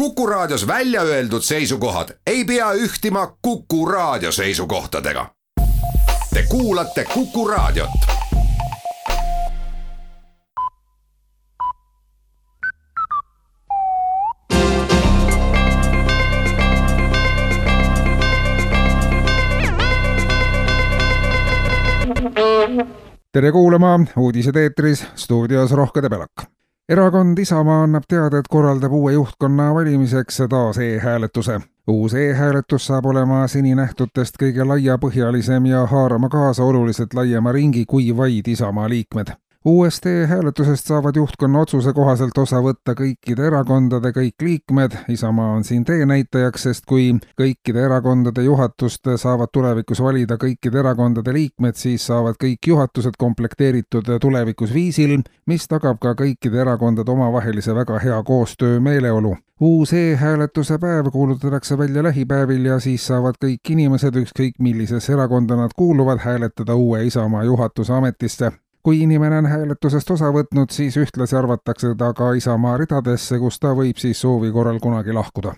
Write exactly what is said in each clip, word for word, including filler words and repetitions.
Kuku Raadios välja öeldud seisukohad ei pea ühtima Kuku Raadio seisukohtadega. Te kuulate Kuku Raadiot. Tere kuulama, uudised eetris, stuudios Rohke Debelak. Erakond Isamaa annab teada, et korraldab uue juhtkonna valimiseks taas e-hääletuse. Uus e-hääletus saab olema seni nähtutest kõige laiapõhjalisem ja haarama kaasa oluliselt laiema ringi kui vaid Isamaa liikmed. Uuest e-hääletusest saavad juhtkonna otsuse kohaselt osa võtta kõikide erakondade kõik liikmed. Isamaa on siin teenäitajaks, sest kui kõikide erakondade juhatust saavad tulevikus valida kõikide erakondade liikmed, siis saavad kõik juhatused komplekteeritud tulevikus viisil, mis tagab ka kõikide erakondade omavahelise väga hea koostöö meeleolu. Uus e-hääletuse päev kuulutatakse välja lähipäevil ja siis saavad kõik inimesed, ükskõik millises erakonda nad kuuluvad, hääletada uue Isamaa juhatuse ametisse. Kui inimene on hääletusest osa võtnud, siis ühtlasi arvatakse ta ka Isamaa ridadesse, kus ta võib siis soovi korral kunagi lahkuda.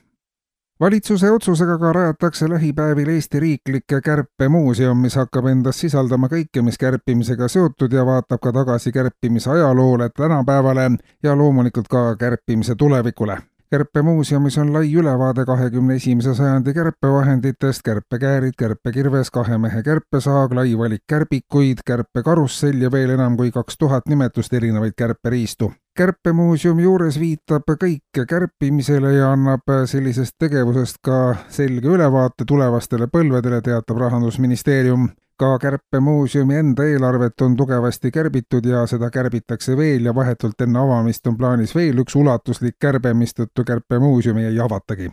Valitsuse otsusega ka rajatakse lähipäevil Eesti riiklikke kärpemuuseum, mis hakkab endas sisaldama kõike, mis kärpimisega seotud ja vaatab ka tagasi kärpimise ajaloole tänapäevale ja loomulikult ka kärpimise tulevikule. Kärpemuuseumis on lai ülevaade kahekümne esimese sajandi kärpevahenditest, kärpekäärid, kärpekirves, kahe mehe kärpesaag, lai valik kärbikuid, kärpekarussell ja veel enam kui kaks tuhat nimetust erinevaid kärperiistu. Kärpemuuseumi juures viitab kõik kärpimisele ja annab sellisest tegevusest ka selge ülevaate tulevastele põlvedele, teatab Rahandusministeerium. Ka kärpemuuseumi enda eelarvet on tugevasti kärbitud ja seda kärbitakse veel ja vahetult enne avamist on plaanis veel üks ulatuslik kärbe, mistõttu kärpemuuseumi ei avatagi.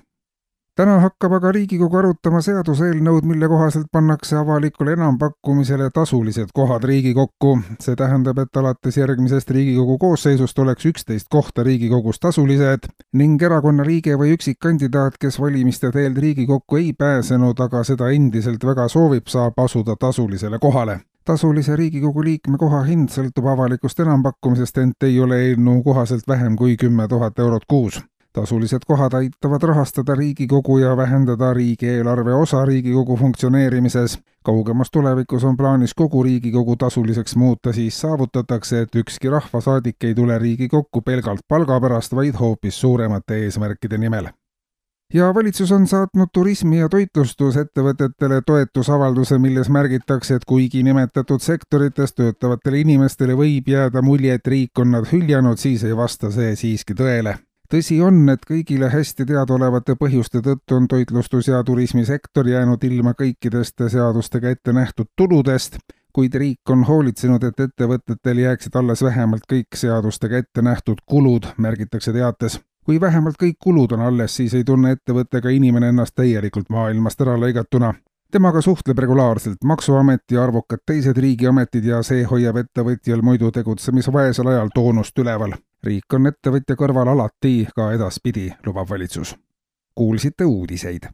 Täna hakkab aga Riigikogu arutama seaduseelnõud, mille kohaselt pannakse avalikule enampakkumisele tasulised kohad Riigikokku. See tähendab, et alates järgmisest Riigikogu koosseisust oleks üksteist kohta Riigikogus tasulised ning erakonna liige või üksikkandidaat, kes valimiste teel Riigikokku ei pääsenud, aga seda endiselt väga soovib, saab asuda tasulisele kohale. Tasulise Riigikogu liikme koha hind sõltub avalikust enampakkumisest, ent ei ole eelnõu kohaselt vähem kui kümme tuhat eurot kuus. Tasulised kohad aitavad rahastada Riigikogu ja vähendada riigieelarve osa Riigikogu funktsioneerimises. Kaugemas tulevikus on plaanis kogu Riigikogu tasuliseks muuta, siis saavutatakse, et ükski rahvasaadik ei tule Riigikokku pelgalt palga pärast, vaid hoopis suuremate eesmärkide nimel. Ja valitsus on saatnud turismi- ja toitlustusettevõtetele toetusavalduse, milles märgitakse, et kuigi nimetatud sektorites töötavatele inimestele võib jääda mulje, et riik on nad hüljanud, siis ei vasta see siiski tõele. Tõsi on, et kõigile hästi teadaolevate põhjuste tõttu on toitlustus- ja turismisektor jäänud ilma kõikidest seadustega ette nähtud tuludest, kuid riik on hoolitsenud, et ettevõtetel jääksid alles vähemalt kõik seadustega ette nähtud kulud, märgitakse teates. Kui vähemalt kõik kulud on alles, siis ei tunne ettevõttega inimene ennast täielikult maailmast ära lõigatuna. Temaga suhtleb regulaarselt Maksuamet ja arvukad teised riigiametid ja see hoiab ettevõtjal muidu tegutsemisvaesel ajal toonust üleval. Riik on ettevõtja kõrval alati ka edaspidi, lubab valitsus. Kuulsite uudiseid.